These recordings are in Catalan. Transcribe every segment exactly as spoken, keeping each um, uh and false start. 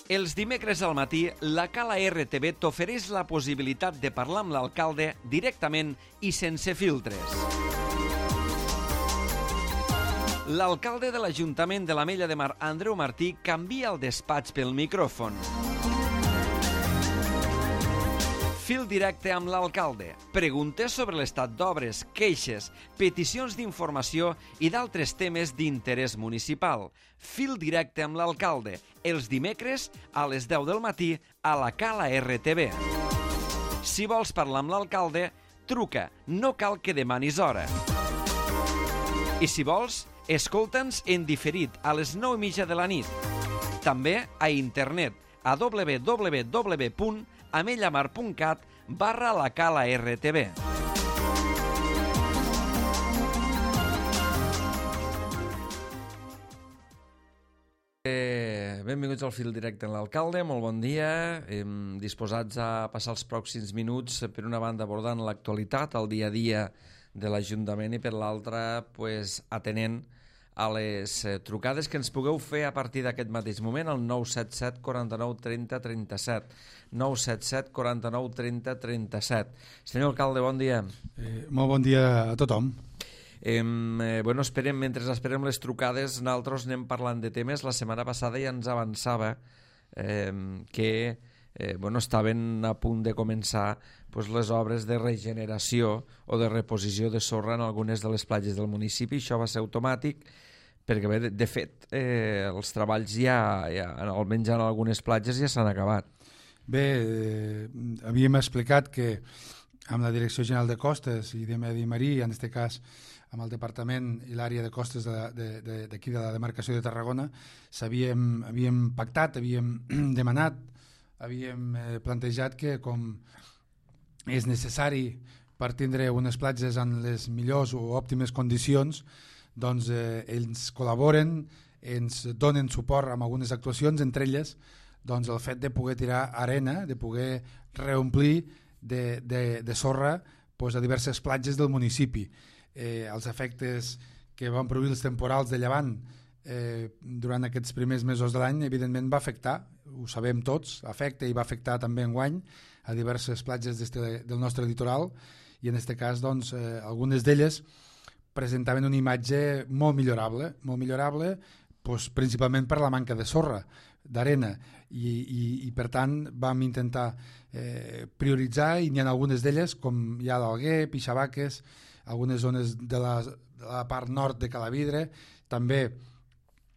Els dimecres al matí, la Cala R T V t'ofereix la possibilitat de parlar amb l'alcalde directament i sense filtres. L'alcalde de l'Ajuntament de l'Ametlla de Mar, Andreu Martí, canvia el despatx pel micròfon. Fil directe amb l'alcalde. Preguntes sobre l'estat d'obres, queixes, peticions d'informació i d'altres temes d'interès municipal. Fil directe amb l'alcalde. Els dimecres a les deu del matí a la Cala R T V. Si vols parlar amb l'alcalde, truca. No cal que demanis hora. I si vols, escolta'ns en diferit a les nou i mitja de la nit. També a internet a w w w punt amellamar punt cat barra la Cala R T V. Eh, benvinguts al fil directe amb l'alcalde, molt bon dia. Eh, disposats a passar els pròxims minuts, per una banda abordant l'actualitat, el dia a dia de l'Ajuntament, i per l'altra pues, atenent a les eh, trucades que ens pugueu fer a partir d'aquest mateix moment al nou set set quaranta-nou trenta trenta-set. nou set set quaranta-nou trenta trenta-set. Senyor alcalde, bon dia. Eh, molt bon dia a tothom. Eh, eh, bueno, esperem, mentre esperem les trucades, nosaltres anem parlant de temes. La setmana passada ja ens avançava eh, que eh, bueno, estaven a punt de començar pues, les obres de regeneració o de reposició de sorra en algunes de les platges del municipi. Això va ser automàtic perquè, bé, de, de fet, eh, els treballs ja, ja, almenys en algunes platges, ja s'han acabat. Bé, eh, havíem explicat que amb la Direcció General de Costes i de Medi Marí, en aquest cas amb el Departament i l'àrea de costes d'aquí de, de, de, de la demarcació de Tarragona, s'havíem havíem pactat, havíem demanat, havíem eh, plantejat que com és necessari per tindre unes platges en les millors o òptimes condicions, doncs eh, ells col·laboren, ens donen suport amb algunes actuacions, entre elles doncs, el fet de poder tirar arena, de poder reomplir de, de, de sorra doncs, a diverses platges del municipi. Eh, els efectes que van produir els temporals de llevant eh, durant aquests primers mesos de l'any, evidentment va afectar, ho sabem tots, afecta i va afectar també enguany a diverses platges del nostre litoral, i en aquest cas doncs, eh, algunes d'elles presentaven una imatge molt millorable, molt millorable doncs, principalment per la manca de sorra, d'arena, i, i, i per tant vam intentar eh, prioritzar, i n'hi ha algunes d'elles, com hi ha l'Alguer, Pixabaques, algunes zones de la, de la part nord de Calavidre, també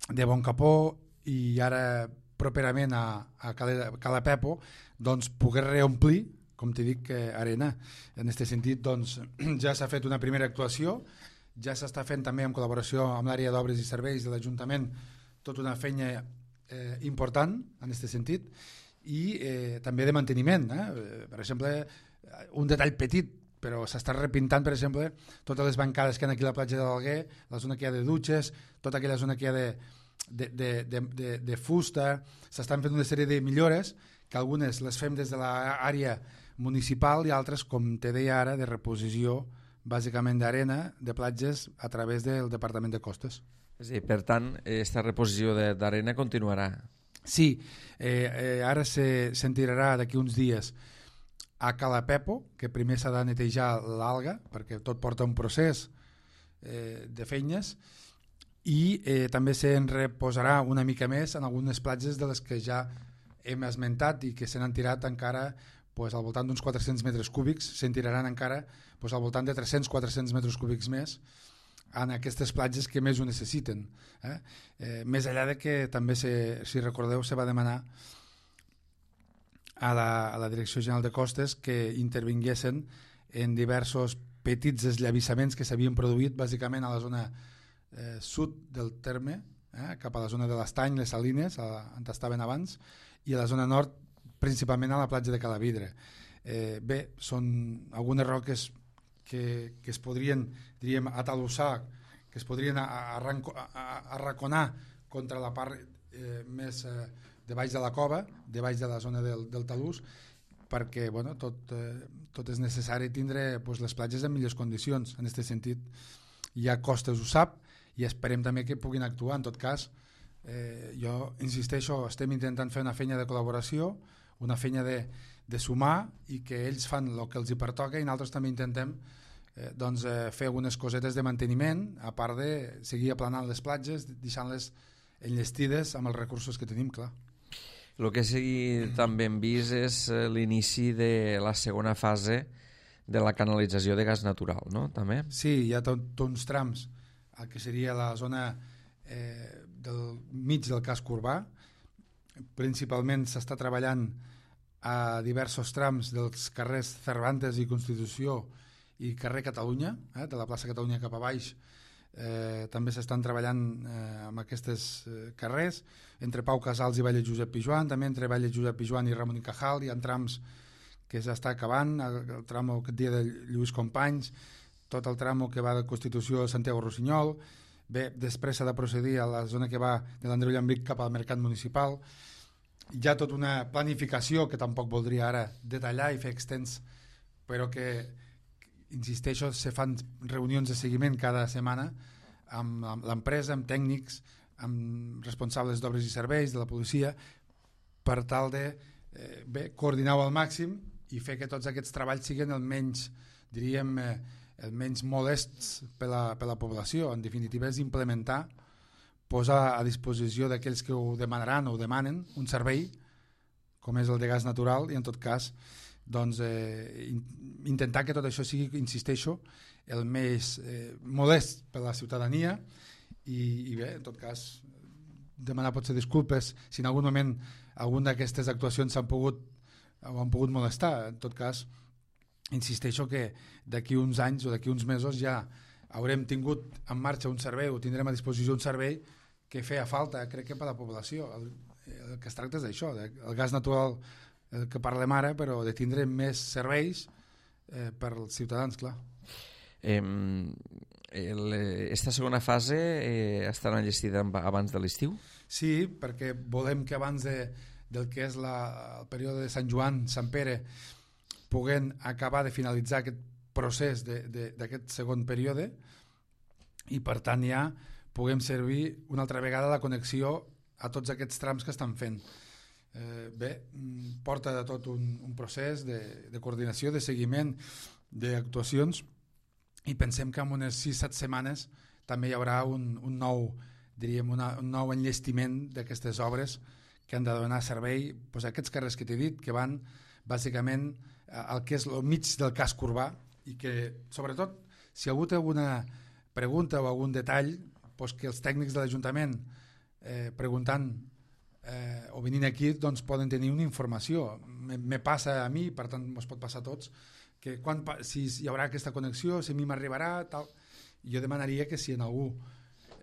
de Boncapó, i ara properament a, a Calapepo, doncs poder reomplir, com t'he dit, que arena. En aquest sentit, doncs, ja s'ha fet una primera actuació, ja s'està fent també en col·laboració amb l'àrea d'obres i serveis de l'Ajuntament tota una feina eh, important en aquest sentit, i eh, també de manteniment. Eh? Per exemple, un detall petit, però s'està repintant, per exemple, totes les bancades que hi ha aquí a la platja de l'Alguer, la zona que hi ha de dutxes, tota aquella zona que hi ha de, de, de, de, de, de fusta. S'estan fent una sèrie de millores, que algunes les fem des de l'àrea municipal i altres, com te deia ara, de reposició bàsicament d'arena, de platges, a través del Departament de Costes. Sí, per tant, aquesta reposició d'arena continuarà. Sí, eh, eh, ara se sentirà d'aquí uns dies a Calapepo, que primer s'ha de netejar l'alga, perquè tot porta un procés eh, de feines, i eh, també se'n reposarà una mica més en algunes platges de les que ja hem esmentat i que se n'han tirat encara pues, al voltant d'uns quatre-cents metres cúbics, se'n tiraran encara pues, al voltant de tres-cents a quatre-cents metres cúbics més en aquestes platges que més ho necessiten. Eh? Eh, més enllà de que també, se, si recordeu, se va demanar a la, a la Direcció General de Costes que intervinguessin en diversos petits eslavissaments que s'havien produït bàsicament a la zona eh, sud del terme, eh, cap a la zona de l'Estany, les Salines, a, on estaven abans, i a la zona nord, principalment a la platja de Calavidre. Eh, bé, són algunes roques que, que es podrien, diríem, atalossar, que es podrien arranco, arraconar contra la part eh, més eh, de baix de la cova, de baix de la zona del, del talús, perquè bueno, tot, eh, tot és necessari tindre pues, les platges en millors condicions. En aquest sentit, ja Costes ho sap, i esperem també que puguin actuar. En tot cas, Eh, jo insisteixo, estem intentant fer una feina de col·laboració, una feina de, de sumar, i que ells fan el que els hi pertoca, i nosaltres també intentem eh, doncs, eh, fer algunes cosetes de manteniment, a part de seguir aplanant les platges, deixant-les enllestides amb els recursos que tenim, clar. El que sí també hem vist és l'inici de la segona fase de la canalització de gas natural, no? També? Sí, hi ha tot, tot uns trams, el que seria la zona eh, del mig del casc urbà. Principalment s'està treballant a diversos trams dels carrers Cervantes i Constitució i carrer Catalunya, eh, de la plaça Catalunya cap a baix. Eh, també s'estan treballant eh, amb aquests eh, carrers, entre Pau Casals i Valle Josep Pijuan, també entre Valle Josep Pijuan i Ramon i Cajal. Hi ha trams que s'està acabant, el, el tram aquest dia de Lluís Companys, tot el tram que va de Constitució a Santiago Rossinyol. Bé, després s'ha de procedir a la zona que va de l'Andreu Llambic cap al mercat municipal. Hi ha tota una planificació que tampoc voldria ara detallar i fer extens, però que, insisteixo, se fan reunions de seguiment cada setmana amb, amb l'empresa, amb tècnics, amb responsables d'obres i serveis, de la policia, per tal de eh, bé, coordinar-ho al màxim i fer que tots aquests treballs siguin el menys, diríem, eh, el menys molests per la, per la població. En definitiva, és implementar, posar a disposició d'aquells que ho demanaran o ho demanen un servei com és el de gas natural, i en tot cas doncs, eh, intentar que tot això sigui, insisteixo, el més eh, modest per la ciutadania, i, i bé, en tot cas demanar potser disculpes si en algun moment alguna d'aquestes actuacions s'han pogut o han pogut molestar. En tot cas, insisteixo que d'aquí uns anys o d'aquí uns mesos ja haurem tingut en marxa un servei, o tindrem a disposició un servei que feia falta, crec que per a la població. El, el que es tracta és d'això, el gas natural el que parlem ara, però de tindre més serveis eh, per als ciutadans, clar. Eh, el, esta segona fase eh, estarà enllestida abans de l'estiu? Sí, perquè volem que abans de, del que és la, el període de Sant Joan, Sant Pere, puguem acabar de finalitzar aquest procés d'aquest segon període, i per tant ja puguem servir una altra vegada la connexió a tots aquests trams que estan fent. Eh, bé, porta de tot un, un procés de, de coordinació, de seguiment, d'actuacions, i pensem que en unes sis set setmanes també hi haurà un, un nou, diríem, una, un nou enllestiment d'aquestes obres que han de donar servei doncs, a aquests carrers que t'he dit, que van bàsicament al que és el mig del casc urbà, i que, sobretot, si algú té alguna pregunta o algun detall, doncs que els tècnics de l'Ajuntament eh, preguntant eh, o venint aquí doncs poden tenir una informació. Me, me passa a mi, per tant ens pot passar a tots, que quan, si hi haurà aquesta connexió, si a mi m'arribarà, tal. Jo demanaria que si en algú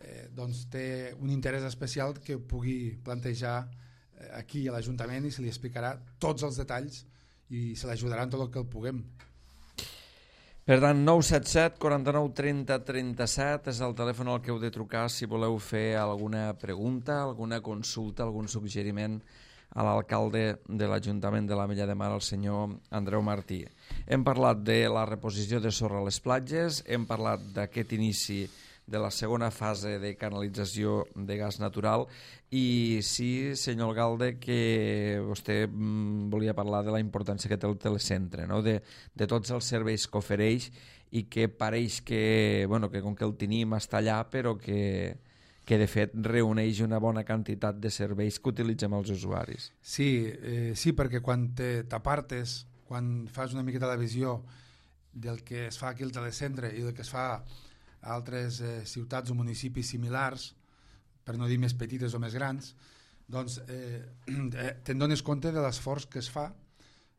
eh, doncs té un interès especial, que pugui plantejar eh, aquí a l'Ajuntament, i se li explicarà tots els detalls i se l'ajudarà en tot el que el puguem. Per tant, nou set set, quaranta-nou, trenta, trenta-set és el telèfon al que heu de trucar si voleu fer alguna pregunta, alguna consulta, algun suggeriment a l'alcalde de l'Ajuntament de l'Ametlla de Mar, el senyor Andreu Martí. Hem parlat de la reposició de sorra a les platges, hem parlat d'aquest inici de la segona fase de canalització de gas natural, i sí, senyor alcalde, que vostè mm, volia parlar de la importància que té el telecentre, no? de, de tots els serveis que ofereix, i que pareix que, bueno, que com que el tenim està allà, però que, que de fet reuneix una bona quantitat de serveis que utilitzem els usuaris. Sí, eh, sí, perquè quan t'apartes, quan fas una miqueta de visió del que es fa aquí al telecentre i del que es fa a altres eh, ciutats o municipis similars, per no dir més petites o més grans, doncs eh, eh, te'n dones compte de l'esforç que es fa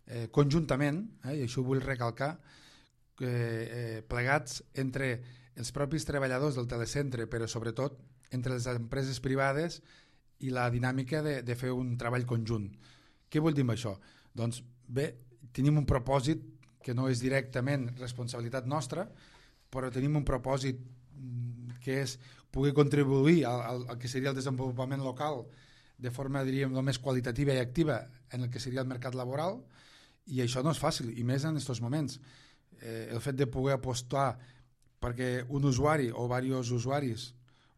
eh, conjuntament, eh, i això ho vull recalcar, que, eh, plegats entre els propis treballadors del telecentre, però sobretot entre les empreses privades, i la dinàmica de, de fer un treball conjunt. Què vull dir amb això? Doncs bé, tenim un propòsit que no és directament responsabilitat nostra, però tenim un propòsit que és poder contribuir al, al, al que seria el desenvolupament local de forma, diríem, el més qualitativa i activa en el que seria el mercat laboral, i això no és fàcil, i més en aquests moments. Eh, el fet de poder apostar perquè un usuari o diversos usuaris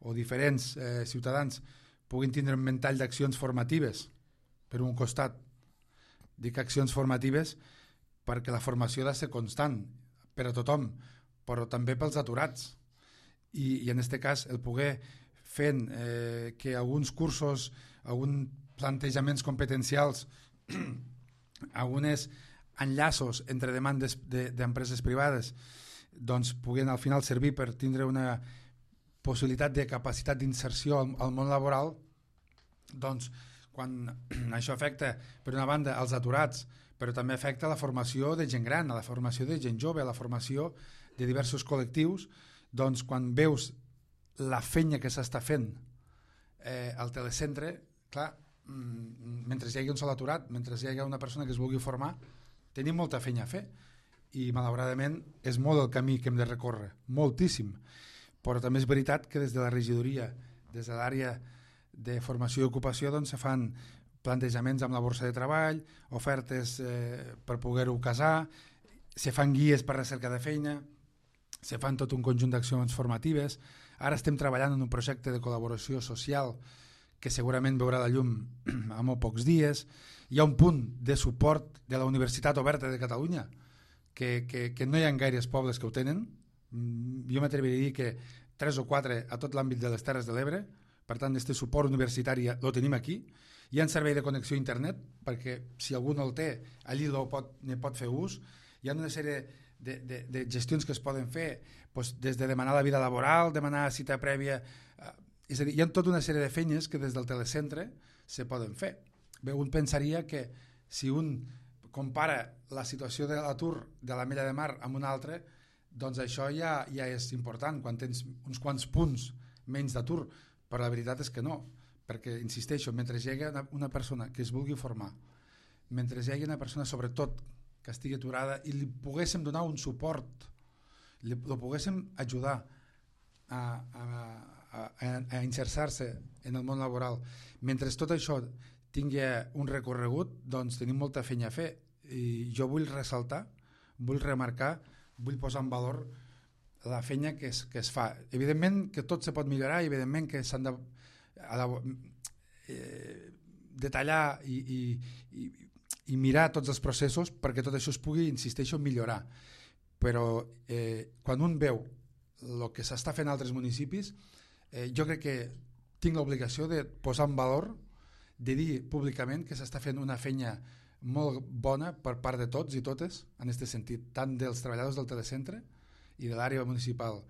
o diferents eh, ciutadans puguin tindre un ventall d'accions formatives, per un costat. Dic accions formatives perquè la formació ha de ser constant per a tothom, però també pels aturats. I, i en aquest cas el poder fent eh, que alguns cursos, alguns plantejaments competencials, alguns enllaços entre demandes d'empreses de, privades doncs puguen al final servir per tindre una possibilitat de capacitat d'inserció al, al món laboral, doncs quan això afecta per una banda als aturats, però també afecta la formació de gent gran, a la formació de gent jove, a la formació de diversos col·lectius, doncs quan veus la feina que s'està fent eh, al telecentre, clar, mentre hi hagi un sol aturat, mentre hi hagi una persona que es vulgui formar, tenim molta feina a fer i malauradament és molt el camí que hem de recórrer, moltíssim, però també és veritat que des de la regidoria, des de l'àrea de formació i ocupació, doncs se fan plantejaments amb la borsa de treball, ofertes eh, per poder-ho casar, se fan guies per recerca de feina, se fan tot un conjunt d'accions formatives. Ara estem treballant en un projecte de col·laboració social que segurament veurà la llum a molt pocs dies. Hi ha un punt de suport de la Universitat Oberta de Catalunya que, que, que no hi ha gaires pobles que ho tenen. Jo m'atreviria a dir que tres o quatre a tot l'àmbit de les Terres de l'Ebre. Per tant, aquest suport universitari el tenim aquí. Hi ha un servei de connexió a internet perquè si algú no el té, allí ne pot, pot fer ús. Hi ha una sèrie de, de, de gestions que es poden fer, doncs, des de demanar la vida laboral, demanar cita prèvia. Eh, és a dir, hi ha tota una sèrie de feines que des del telecentre se poden fer. Bé, un pensaria que si un compara la situació de l'atur de l'Ametlla de Mar amb una altra, doncs això ja, ja és important quan tens uns quants punts menys d'atur, però la veritat és que no, perquè, insisteixo, mentre hi hagi una, una persona que es vulgui formar, mentre hi hagi una persona sobretot que estigui aturada i li poguéssim donar un suport, li, li poguéssim ajudar a, a, a, a inserir-se en el món laboral, mentre tot això tingui un recorregut, doncs tenim molta feina a fer i jo vull ressaltar, vull remarcar, vull posar en valor la feina que es, que es fa. Evidentment que tot se pot millorar i evidentment que s'han de a, eh, detallar i, i, i, i mirar tots els processos perquè tot això es pugui, insisteixo, millorar. Però eh, quan un veu el que s'està fent a altres municipis, eh, jo crec que tinc l'obligació de posar en valor, de dir públicament que s'està fent una feina molt bona per part de tots i totes, en aquest sentit, tant dels treballadors del telecentre i de l'àrea municipal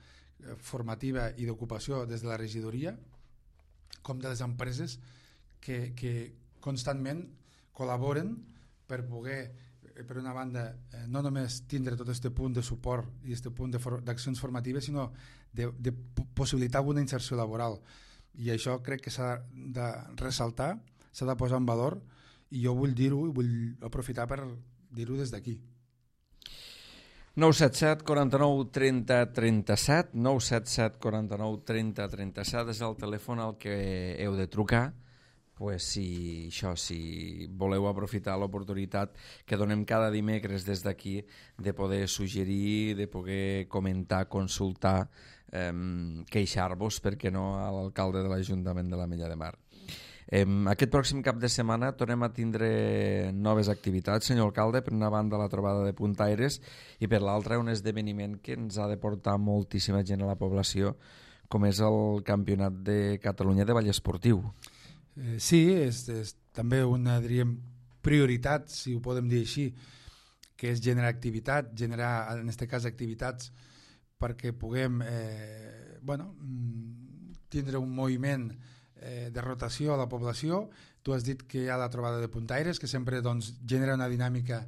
formativa i d'ocupació des de la regidoria, com de les empreses que, que constantment col·laboren per poder, per una banda, no només tindre tot aquest punt de suport i aquest punt d'accions formatives, sinó de, de possibilitar alguna inserció laboral. I això crec que s'ha de ressaltar, s'ha de posar en valor, i jo vull dir-ho i vull aprofitar per dir-ho des d'aquí. nou set set, quaranta-nou, trenta, trenta-set, nou set set, quaranta-nou, trenta, trenta-set és el telèfon al que heu de trucar, pues si, això, si voleu aprofitar l'oportunitat que donem cada dimecres des d'aquí de poder suggerir, de poder comentar, consultar, eh, queixar-vos, per què no, a l'alcalde de l'Ajuntament de l'Ametlla de Mar. Eh, aquest pròxim cap de setmana tornem a tindre noves activitats, senyor alcalde, per una banda la trobada de Puntaires i per l'altra un esdeveniment que ens ha de portar moltíssima gent a la població, com és el Campionat de Catalunya de Ball Esportiu. Eh, sí, és, és també una, diríem, prioritat, si ho podem dir així, que és generar activitat, generar, en aquest cas, activitats perquè puguem eh, bueno, tindre un moviment eh, de rotació a la població. Tu has dit que hi ha la trobada de Puntaires, que sempre doncs, genera una dinàmica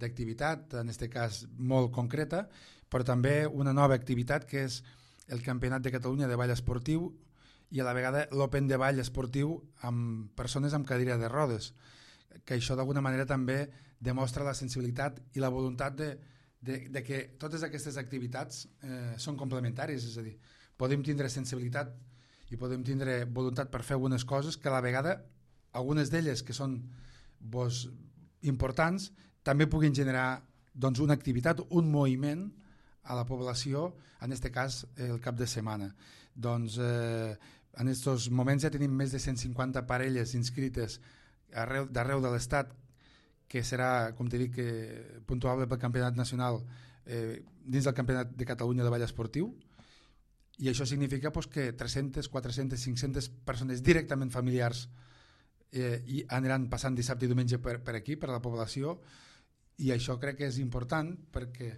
d'activitat, en aquest cas molt concreta, però també una nova activitat que és el Campionat de Catalunya de Ball Esportiu i a la vegada l'Open de Ball Esportiu amb persones amb cadira de rodes, que això d'alguna manera també demostra la sensibilitat i la voluntat de, de, de que totes aquestes activitats eh, són complementàries, és a dir, podem tindre sensibilitat i podem tindre voluntat per fer algunes coses que a la vegada, algunes d'elles que són doncs, importants, també puguin generar doncs, una activitat, un moviment a la població, en aquest cas el cap de setmana. Doncs eh, En aquests moments ja tenim més de cent cinquanta parelles inscrites arreu, d'arreu de l'Estat, que serà, com t'he dit, que, puntuable pel campionat nacional eh, dins del campionat de Catalunya de ball esportiu, i això significa pues, que tres-centes, quatre-centes, cinc-centes persones directament familiars eh, i aniran passant dissabte i diumenge per, per aquí, per la població, i això crec que és important perquè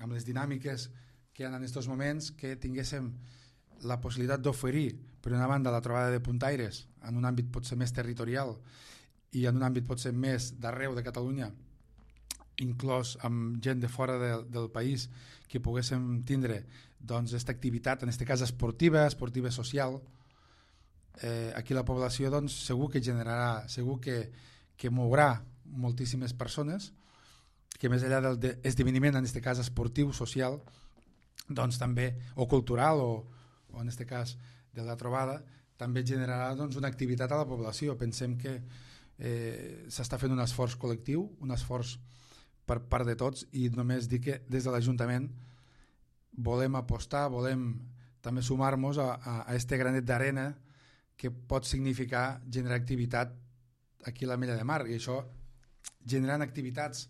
amb les dinàmiques que hi ha en aquests moments que tinguéssim la possibilitat d'oferir per una banda la trobada de puntaires en un àmbit potser més territorial i en un àmbit potser més d'arreu de Catalunya, inclòs amb gent de fora de, del país, que poguéssim tindre doncs aquesta activitat, en aquest cas esportiva, esportiva social. Eh, aquí la població doncs, segur que generarà, segur que, que mourà moltíssimes persones, que més enllà del de esdeveniment, en aquest cas esportiu, social, doncs també, o cultural, o, o en aquest cas de la trobada, també generarà doncs, una activitat a la població. Pensem que eh, s'està fent un esforç col·lectiu, un esforç per part de tots, i només dir que des de l'Ajuntament volem apostar, volem també sumar-nos a, a, a este granet d'arena que pot significar generar activitat aquí a l'Ametlla de Mar, i això generant activitats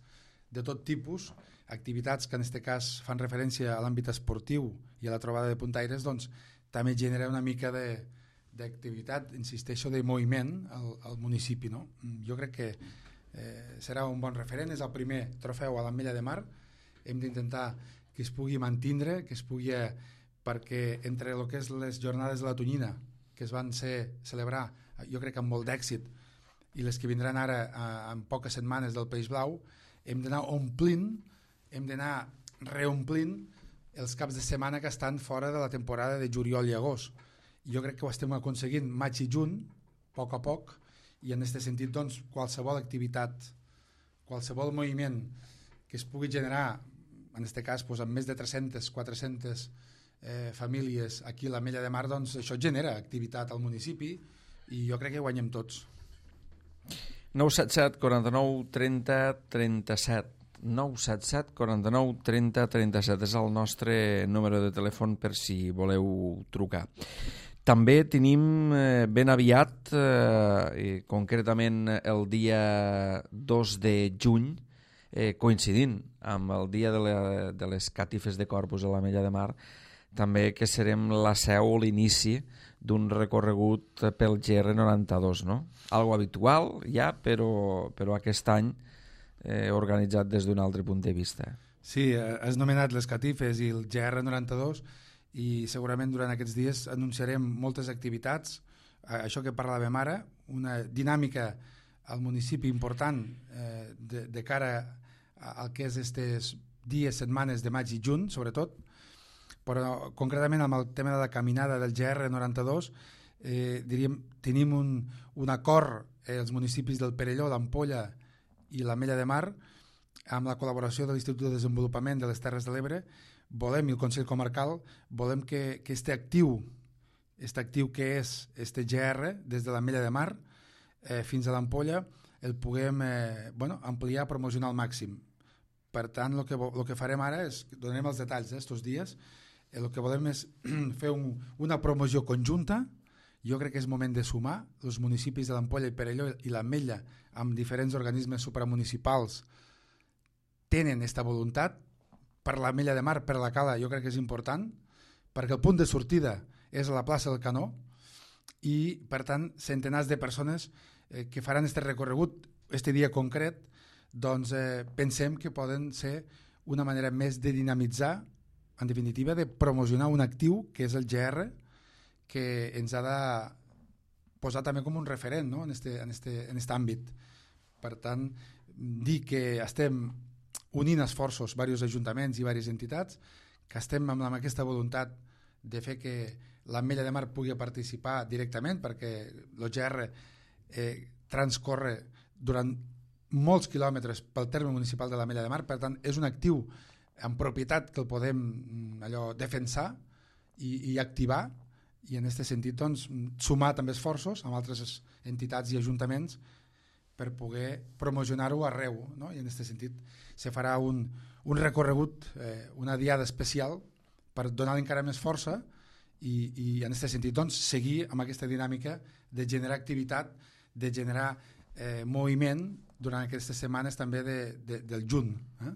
de tot tipus, activitats que en aquest cas fan referència a l'àmbit esportiu i a la trobada de puntaires, doncs també genera una mica de d'activitat, insisteixo, de moviment al, al municipi, no? Jo crec que eh, serà un bon referent, és el primer trofeu a l'Ametlla de Mar, hem d'intentar que es pugui mantindre, que es pugui, eh, perquè entre el que és les jornades de la Tonyina, que es van ser, celebrar, jo crec que amb molt d'èxit, i les que vindran ara eh, en poques setmanes del País Blau, hem d'anar omplint, hem d'anar reomplint els caps de setmana que estan fora de la temporada de juliol i agost. Jo crec que ho estem aconseguint maig i juny, a poc a poc, i en aquest sentit doncs, qualsevol activitat, qualsevol moviment que es pugui generar, en aquest cas doncs, amb més de tres-centes, quatre-centes eh, famílies aquí a l'Ametlla de Mar, doncs això genera activitat al municipi i jo crec que guanyem tots. nou set set, quaranta-nou, trenta, trenta-set. nou set set, quaranta-nou, trenta, trenta-set és el nostre número de telèfon per si voleu trucar. També tenim eh, ben aviat, eh, concretament el dia dos de juny, eh, coincidint amb el dia de, la, de les catifes de Corpus a l'Ametlla de Mar, també que serem la seu o l'inici d'un recorregut pel G R noranta-dos, no? Algo habitual ja, però, però aquest any eh, organitzat des d'un altre punt de vista. Sí, has nomenat les catifes i el G R noranta-dos, i segurament durant aquests dies anunciarem moltes activitats, això que parlàvem ara, una dinàmica al municipi important eh, de, de cara al que és aquests dies, setmanes de maig i juny, sobretot, però concretament amb el tema de la caminada del G R noranta-dos, eh, diríem, tenim un, un acord eh, els municipis del Perelló, l'Ampolla i l'Ametlla de Mar, amb la col·laboració de l'Institut de Desenvolupament de les Terres de l'Ebre, volem, i el Consell Comarcal, volem que, que este actiu, este actiu que és este G R, des de l'Ametlla de Mar eh, fins a l'Ampolla, el puguem eh, bueno, ampliar, promocionar al màxim. Per tant, el que, lo que farem ara és, donarem els detalls d'estos eh, dies, el que volem és fer un, una promoció conjunta. Jo crec que és moment de sumar els municipis de l'Ampolla i Perelló i l'Ametlla amb diferents organismes supramunicipals tenen aquesta voluntat. Per l'Ametlla de Mar, per la Cala, jo crec que és important, perquè el punt de sortida és a la plaça del Canó i, per tant, centenars de persones eh, que faran aquest recorregut, aquest dia concret, doncs eh, pensem que poden ser una manera més de dinamitzar, en definitiva, de promocionar un actiu que és el G R, que ens ha de posar també com un referent, no? en este, en este, en este àmbit. Per tant, dir que estem unint esforços, diversos ajuntaments i diverses entitats, que estem amb, amb aquesta voluntat de fer que l'Ametlla de Mar pugui participar directament, perquè el G R eh, transcorre durant molts quilòmetres pel terme municipal de l'Ametlla de Mar, per tant és un actiu en propietat que el podem allò defensar i, i activar, i en aquest sentit doncs, sumar també esforços amb altres entitats i ajuntaments per poder promocionar-ho arreu, no? I en aquest sentit se farà un, un recorregut, eh, una diada especial per donar encara més força i, i en aquest sentit doncs, seguir amb aquesta dinàmica de generar activitat, de generar eh, moviment durant aquestes setmanes també de, de, del juny. Eh?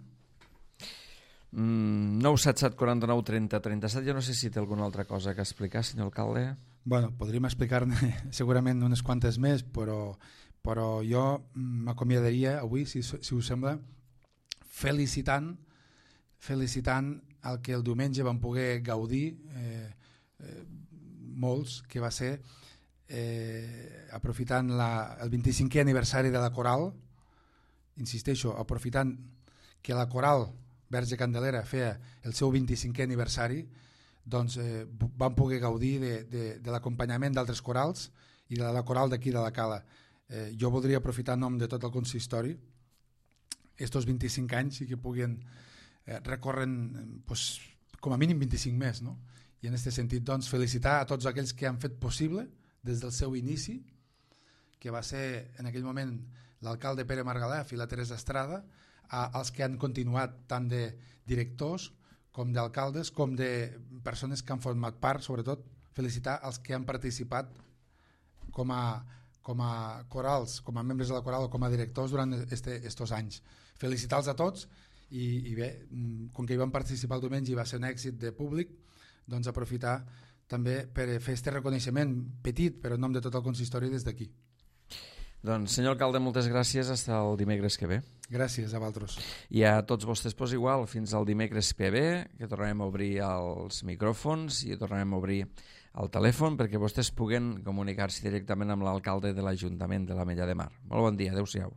Mm, nou set set quaranta nou trenta trenta set. Jo no sé si té alguna altra cosa que explicar, senyor alcalde. Bueno, podríem explicar-ne segurament unes quantes més, però, però jo m'acomiadaria avui, si, si us sembla, felicitant, felicitant el que el diumenge vam poder gaudir eh, eh, molts, que va ser eh, aprofitant la, el vint-i-cinquè aniversari de la Coral, insisteixo, aprofitant que la Coral Verge Candelera feia el seu vint-i-cinquè aniversari, doncs eh, vam poder gaudir de, de, de l'acompanyament d'altres corals i de la coral d'aquí de la Cala. Eh, jo voldria aprofitar en nom de tot el consistori estos vint-i-cinc anys i que puguin eh, recorren pues, com a mínim vint-i-cinc més, no? I en aquest sentit doncs, felicitar a tots aquells que han fet possible des del seu inici, que va ser en aquell moment l'alcalde Pere Margalef i la Teresa Estrada, a, als que han continuat tant de directors com d'alcaldes, com de persones que han format part, sobretot felicitar els que han participat com a, com a corals, com a membres de la coral o com a directors durant este, estos anys. Felicitar-los a tots i, i bé, com que hi van participar el diumenge i va ser un èxit de públic, doncs aprofitar també per fer este reconeixement petit, però en nom de tot el consistori des d'aquí. Doncs, senyor alcalde, moltes gràcies. Fins el dimecres que ve. Gràcies a vosaltres. I a tots vostès, pues, igual, fins al dimecres que ve, que tornarem a obrir els micròfons i tornarem a obrir el telèfon perquè vostès puguen comunicar-se directament amb l'alcalde de l'Ajuntament de l'Ametlla de Mar. Molt bon dia, adeu-siau.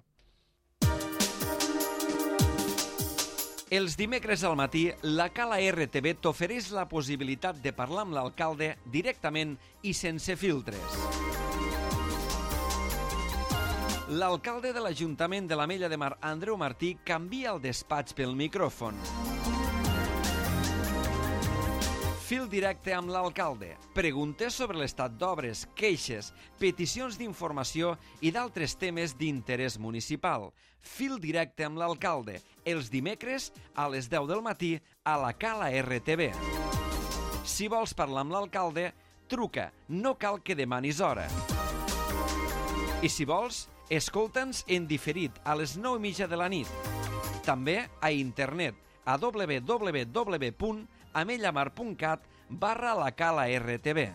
Els dimecres al matí, la Cala R T V t'ofereix la possibilitat de parlar amb l'alcalde directament i sense filtres. L'alcalde de l'Ajuntament de l'Ametlla de Mar, Andreu Martí, canvia el despatx pel micròfon. Fil directe amb l'alcalde. Preguntes sobre l'estat d'obres, queixes, peticions d'informació i d'altres temes d'interès municipal. Fil directe amb l'alcalde. Els dimecres a les deu del matí a la Cala R T V. Si vols parlar amb l'alcalde, truca. No cal que demanis hora. I si vols, escolta'ns en diferit a les nou i mitja de la nit. També a internet a w w w punt amellamar punt cat barra la Cala R T V.